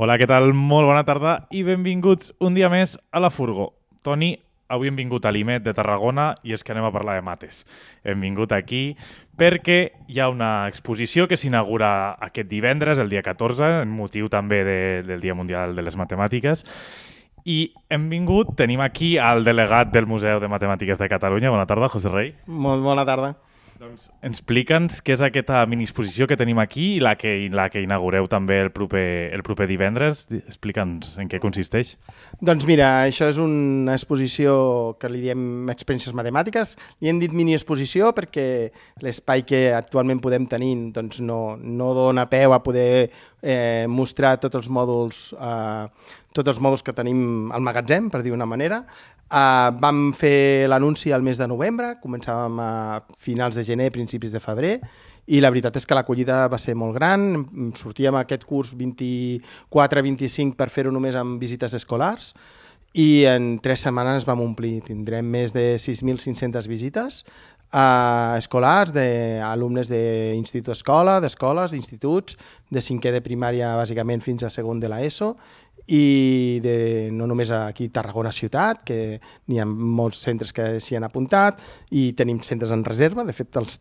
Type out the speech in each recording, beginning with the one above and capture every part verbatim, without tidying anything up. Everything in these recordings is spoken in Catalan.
Hola, què tal? Molt bona tarda i benvinguts un dia més a La Furgo. Toni, avui hem vingut a l'I M E T de Tarragona i és que anem a parlar de mates. Hem vingut aquí perquè hi ha una exposició que s'inaugura aquest divendres, el dia catorze, en motiu també de, del Dia Mundial de les Matemàtiques. I hem vingut, tenim aquí el delegat del Museu de Matemàtiques de Catalunya. Bona tarda, José Rey. Molt bona tarda. Doncs explica'ns què és aquesta mini-exposició que tenim aquí i la que, la que inaugureu també el proper, el proper divendres. Explica'ns en què consisteix. Doncs mira, això és una exposició que li diem experiències matemàtiques. Li hem dit mini-exposició perquè l'espai que actualment podem tenir doncs no, no dona peu a poder eh, mostrar tots els mòduls eh, tots els mòduls que tenim al magatzem, per dir una manera. Uh, vam fer l'anunci al mes de novembre, començàvem a finals de gener, principis de febrer, i la veritat és que l'acollida va ser molt gran. Sortíem aquest curs vint-i-quatre vint-i-cinc per fer-ho només amb visites escolars, i en tres setmanes vam omplir. Tindrem més de sis mil cinc-centes visites uh, escolars, d'alumnes d'institut escola, d'escoles, d'instituts, de cinquè de primària bàsicament fins a segon de l'ESO, i de, no només aquí a Tarragona ciutat, que n'hi ha molts centres que s'hi han apuntat i tenim centres en reserva. De fet, els,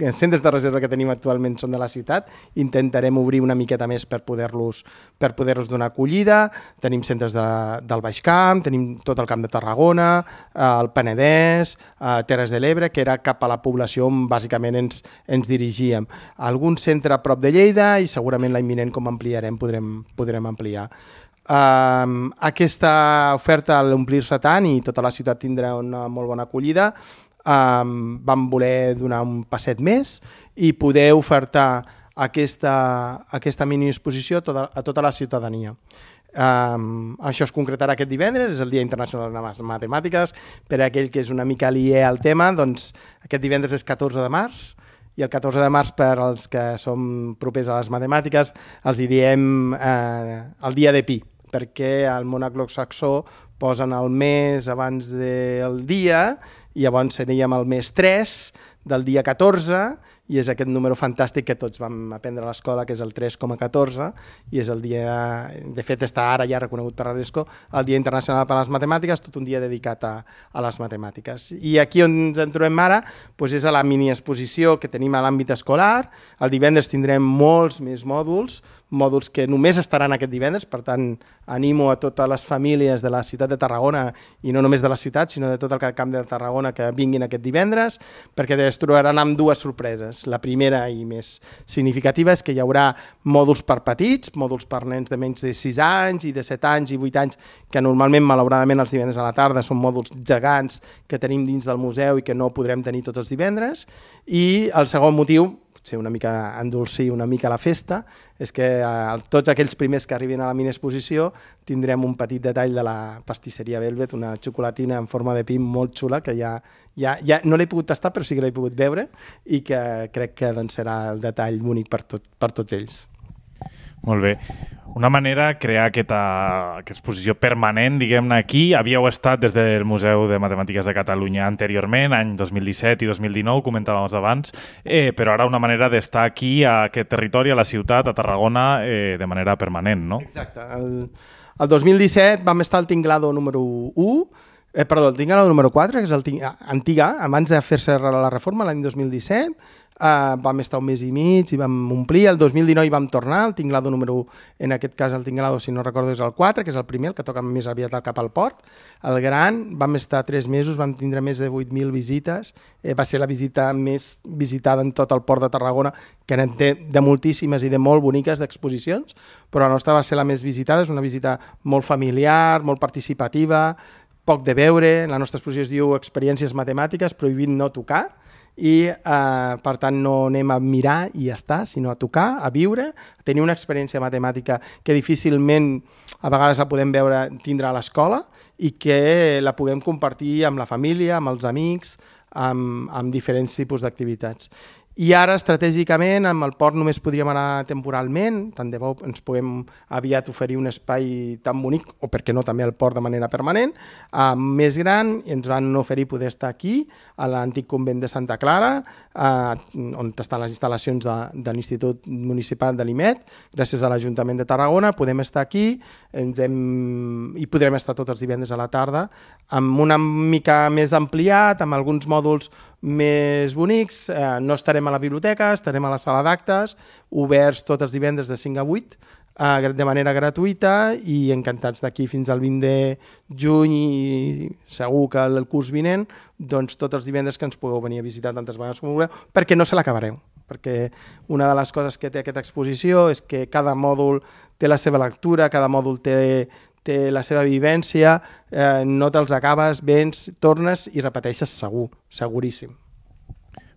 els centres de reserva que tenim actualment són de la ciutat. Intentarem obrir una miqueta més per poder-los per poder-los donar acollida. Tenim centres de, del Baix Camp, tenim tot el Camp de Tarragona, el Penedès, Terres de l'Ebre, que era cap a la població on bàsicament ens, ens dirigíem. Algun centre a prop de Lleida i segurament l'any vinent, com ampliarem, podrem, podrem ampliar. Uh, aquesta oferta, al omplir-se tant i tota la ciutat tindrà una molt bona acollida, uh, vam voler donar un passet més i poder ofertar aquesta, aquesta mini-exposició a tota, a tota la ciutadania. Um, això es concretarà aquest divendres, és el Dia Internacional de les Matemàtiques. Per a aquell que és una mica aliè al tema, doncs aquest divendres és catorze de març, i el catorze de març, per als que som propers a les matemàtiques, els hi diem eh, el dia de pi, perquè al món anglosaxó posen el mes abans del dia i llavors seríem el mes tres del dia catorze, i és aquest número fantàstic que tots vam aprendre a l'escola, que és el tres coma catorze, i és el dia, de fet està ara ja reconegut per l'UNESCO, el Dia Internacional per a les Matemàtiques, tot un dia dedicat a, a les matemàtiques. I aquí on ens en trobem ara doncs és a la mini-exposició que tenim a l'àmbit escolar. El divendres tindrem molts més mòduls, mòduls que només estaran aquest divendres, per tant animo a totes les famílies de la ciutat de Tarragona, i no només de la ciutat, sinó de tot el camp de Tarragona, que vinguin aquest divendres, perquè es trobaran amb dues sorpreses. La primera i més significativa és que hi haurà mòduls per petits, mòduls per nens de menys de sis anys i de set anys i vuit anys, que normalment, malauradament, els divendres a la tarda són mòduls gegants que tenim dins del museu i que no podrem tenir tots els divendres. I el segon motiu, potser una mica endolcir una mica la festa, és que eh, tots aquells primers que arribin a la mini-exposició tindrem un petit detall de la pastisseria Velvet, una xocolatina en forma de pi molt xula, que ja, ja, ja no l'he pogut tastar, però sí que l'he pogut veure, i que crec que doncs, serà el detall únic per, tot, per tots ells. Molt bé. Una manera de crear aquesta, aquesta exposició permanent, diguem-ne, aquí. Havíeu estat des del Museu de Matemàtiques de Catalunya anteriorment, any dos mil disset i dos mil dinou, comentàvem abans, eh, però ara una manera d'estar aquí, a aquest territori, a la ciutat, a Tarragona, eh, de manera permanent, no? Exacte. El, el dos mil disset vam estar al Tinglado número u, eh, perdó, el Tinglado número quatre, que és el antiga, abans de fer-se la reforma l'any dos mil disset, Uh, vam estar un mes i mig i vam omplir. El dos mil dinou hi vam tornar, el Tinglado número u, en aquest cas el Tinglado, si no recordo, és el quatre, que és el primer, el que toca més aviat cap al port. El gran, vam estar tres mesos, vam tindre més de vuit mil visites, eh, va ser la visita més visitada en tot el port de Tarragona, que n'en té de moltíssimes i de molt boniques d'exposicions, però la nostra va ser la més visitada. És una visita molt familiar, molt participativa, poc de veure. La nostra exposició es diu Experiències matemàtiques, prohibit no tocar, i eh, per tant no anem a mirar i ja està, sinó a tocar, a viure, a tenir una experiència matemàtica que difícilment a vegades la podem veure tindre a l'escola i que la puguem compartir amb la família, amb els amics, amb, amb diferents tipus d'activitats. I ara, estratègicament, amb el port només podríem anar temporalment, tant de bo ens puguem aviat oferir un espai tan bonic, o per què no també el port de manera permanent, uh, més gran, i ens van oferir poder estar aquí, a l'antic convent de Santa Clara, uh, on estan les instal·lacions de, de l'Institut Municipal de l'I M E T, gràcies a l'Ajuntament de Tarragona, podem estar aquí, ens hem... i podrem estar tots els divendres a la tarda, amb una mica més ampliat, amb alguns mòduls més bonics, eh, no estarem a la biblioteca, estarem a la sala d'actes, oberts tots els divendres de cinc a vuit, eh, de manera gratuïta, i encantats d'aquí fins al vint de juny, i segur que el curs vinent, doncs tots els divendres que ens pugueu venir a visitar tantes vegades com vulgueu, perquè no se l'acabareu. Perquè una de les coses que té aquesta exposició és que cada mòdul té la seva lectura, cada mòdul té té la seva vivència, eh, no te'ls acabes, vens, tornes i repeteixes segur, seguríssim.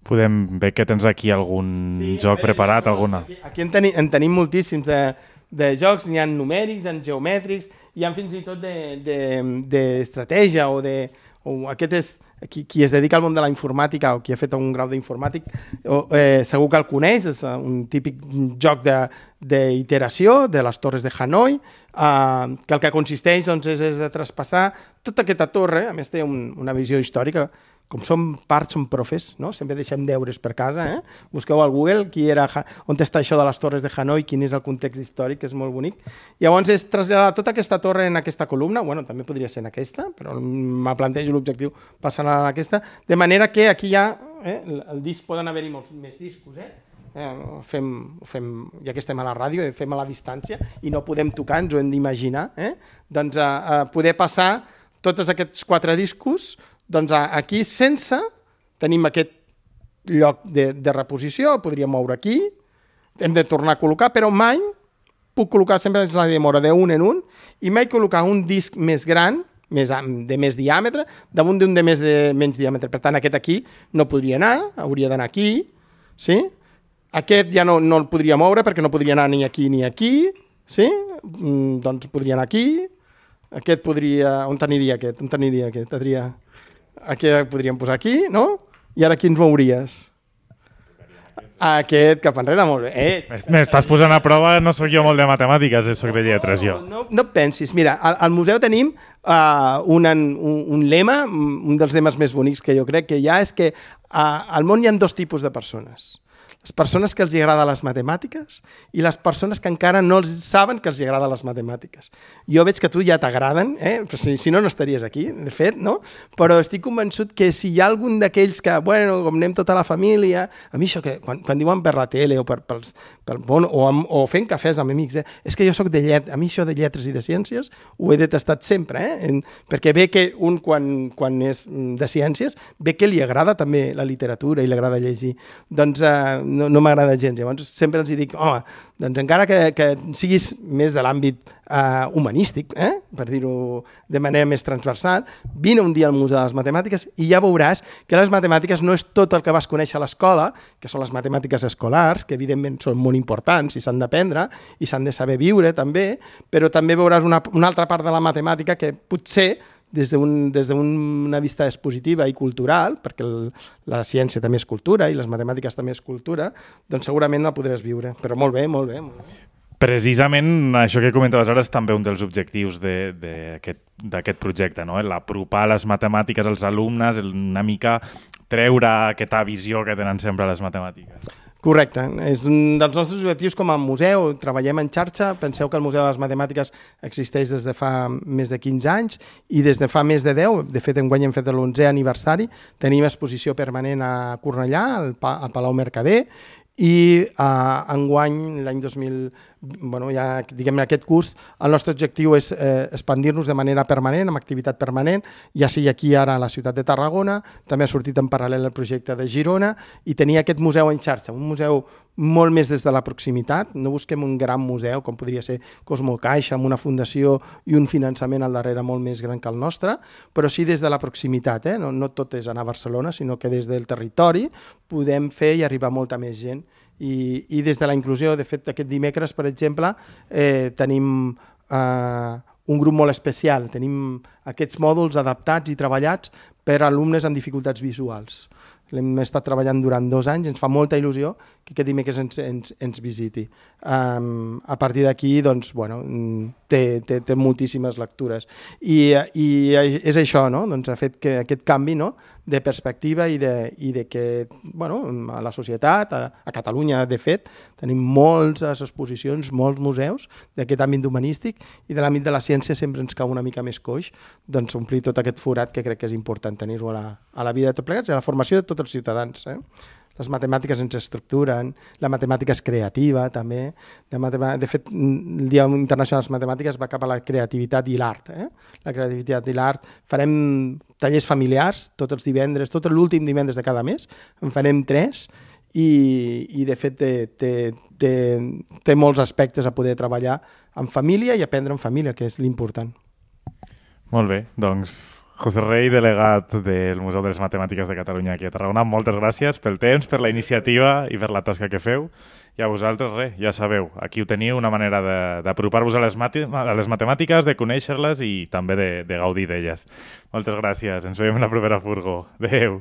Podem ver que tens aquí algun sí, joc preparat, alguna... Aquí, aquí en, teni, en tenim moltíssims de, de jocs, n'hi ha numèrics, n'hi ha geomètrics, hi ha fins i tot d'estratègia de, de, o de... O aquest és, qui, qui es dedica al món de la informàtica o qui ha fet un grau d'informàtic, eh, segur que el coneix, és un típic joc d'iteració de, de les torres de Hanoi, eh, que el que consisteix doncs, és, és de traspassar tota aquesta torre, a més té un, una visió històrica, com som part, som profes, no? Sempre deixem deures per casa, eh? Busqueu al Google qui era, on està això de les torres de Hanoi, quin és el context històric, que és molt bonic. Llavors és traslladar tota aquesta torre en aquesta columna, bueno, també podria ser en aquesta, però me plantejo l'objectiu passant a aquesta, de manera que aquí ja, eh, el disc poden haver-hi molts més discos, eh? Eh, fem, fem, ja que estem a la ràdio, fem a la distància i no podem tocar, ens ho hem d'imaginar, eh? Doncs a, a poder passar tots aquests quatre discos, doncs aquí sense, tenim aquest lloc de, de reposició, podríem moure aquí, hem de tornar a col·locar, però mai puc col·locar, sempre és la demora d'un en un, i mai col·locar un disc més gran, més, de més diàmetre, damunt d'un de més de menys diàmetre. Per tant, aquest aquí no podria anar, hauria d'anar aquí, sí? Aquest ja no, no el podria moure perquè no podria anar ni aquí ni aquí, sí? Mm, doncs podria anar aquí, aquest podria... On t'aniria aquest? On t'aniria aquest? Adrià? Aquí podríem posar aquí, no? I ara aquí ens mouries. Aquest cap enrere, molt bé. Eh, M'estàs posant a prova, no sóc jo molt de matemàtiques, soc de lletres, jo. No, no, no pensis. Mira, al, al museu tenim uh, un, un, un lema, un dels lemes més bonics que jo crec que hi ha, és que uh, al món hi ha dos tipus de persones. Les persones que els agrada les matemàtiques i les persones que encara no els saben que els agrada les matemàtiques. Jo veig que a tu ja t'agraden, eh? si, si no, no estaries aquí, de fet, no? Però estic convençut que si hi ha algun d'aquells que, bueno, com anem tota la família, a mi això que, quan, quan diuen per la tele o, per, pels, per, bon, o, amb, o fent cafès amb amics, eh? És que jo sóc de lletres, a mi això de lletres i de ciències ho he detestat sempre, eh? En, perquè ve que un, quan, quan és de ciències, ve que li agrada també la literatura i li agrada llegir. Doncs eh, no, no m'agrada gens. Llavors sempre els dic, home, doncs encara que, que siguis més de l'àmbit eh, humanístic, eh, per dir-ho de manera més transversal, vine un dia al Museu de les Matemàtiques i ja veuràs que les matemàtiques no és tot el que vas conèixer a l'escola, que són les matemàtiques escolars, que evidentment són molt importants i s'han d'aprendre i s'han de saber viure també, però també veuràs una, una altra part de la matemàtica que potser des d'una des d'una vista expositiva i cultural, perquè el, la ciència també és cultura i les matemàtiques també és cultura, doncs segurament la podràs viure. Però molt bé, molt bé. Molt bé. Precisament això que comentaves ara és també un dels objectius d'aquest projecte, no? L'apropar les matemàtiques als alumnes, una mica treure aquesta visió que tenen sempre les matemàtiques. Correcte. És un dels nostres objectius com a museu. Treballem en xarxa. Penseu que el Museu de les Matemàtiques existeix des de fa més de quinze anys i des de fa més de deu, de fet enguany hem fet l'onzè aniversari, tenim exposició permanent a Cornellà, al, pa, al Palau Mercader, i uh, enguany, l'any dos mil, bueno, ja diguem aquest curs, el nostre objectiu és eh, expandir-nos de manera permanent, amb activitat permanent, ja sigui aquí ara a la ciutat de Tarragona, també ha sortit en paral·lel el projecte de Girona, i tenir aquest museu en xarxa, un museu molt més des de la proximitat. No busquem un gran museu, com podria ser Cosmocaixa, amb una fundació i un finançament al darrere molt més gran que el nostre, però sí des de la proximitat. Eh? No, no tot és anar a Barcelona, sinó que des del territori podem fer i arribar molta més gent. I, i des de la inclusió, de fet, aquest dimecres, per exemple, eh, tenim eh, un grup molt especial. Tenim aquests mòduls adaptats i treballats per a alumnes amb dificultats visuals. l'hem estat treballant durant dos anys, ens fa molta il·lusió que aquest dimecres ens, ens, ens visiti. Um, a partir d'aquí, doncs, bueno, té, té, té moltíssimes lectures. I, i és això, no? Doncs ha fet que aquest canvi, no?, de perspectiva i de, i de que, bueno, a la societat, a, a Catalunya, de fet, tenim moltes exposicions, molts museus d'aquest àmbit humanístic i de l'àmbit de la ciència sempre ens cau una mica més coix, doncs omplir tot aquest forat que crec que és important tenir-ho a, la, a la vida de tots plegats i a la formació de tots els ciutadans. Eh? Les matemàtiques ens estructuren, la matemàtica és creativa també. De, matem... de fet, el Dia Internacional de les Matemàtiques va cap a la creativitat i l'art. Eh? La creativitat i l'art. Farem tallers familiars tots els divendres, tot l'últim divendres de cada mes, en farem tres i, i de fet té, té, té, té molts aspectes a poder treballar en família i aprendre en família, que és l'important. Molt bé, doncs José Rey, delegat del Museu de les Matemàtiques de Catalunya aquí a Tarragona, moltes gràcies pel temps, per la iniciativa i per la tasca que feu. I a vosaltres, res, ja sabeu, aquí ho teniu, una manera d'apropar-vos a, les mati- a les matemàtiques, de conèixer-les i també de, de gaudir d'elles. Moltes gràcies, ens veiem en la propera furgo. Adéu.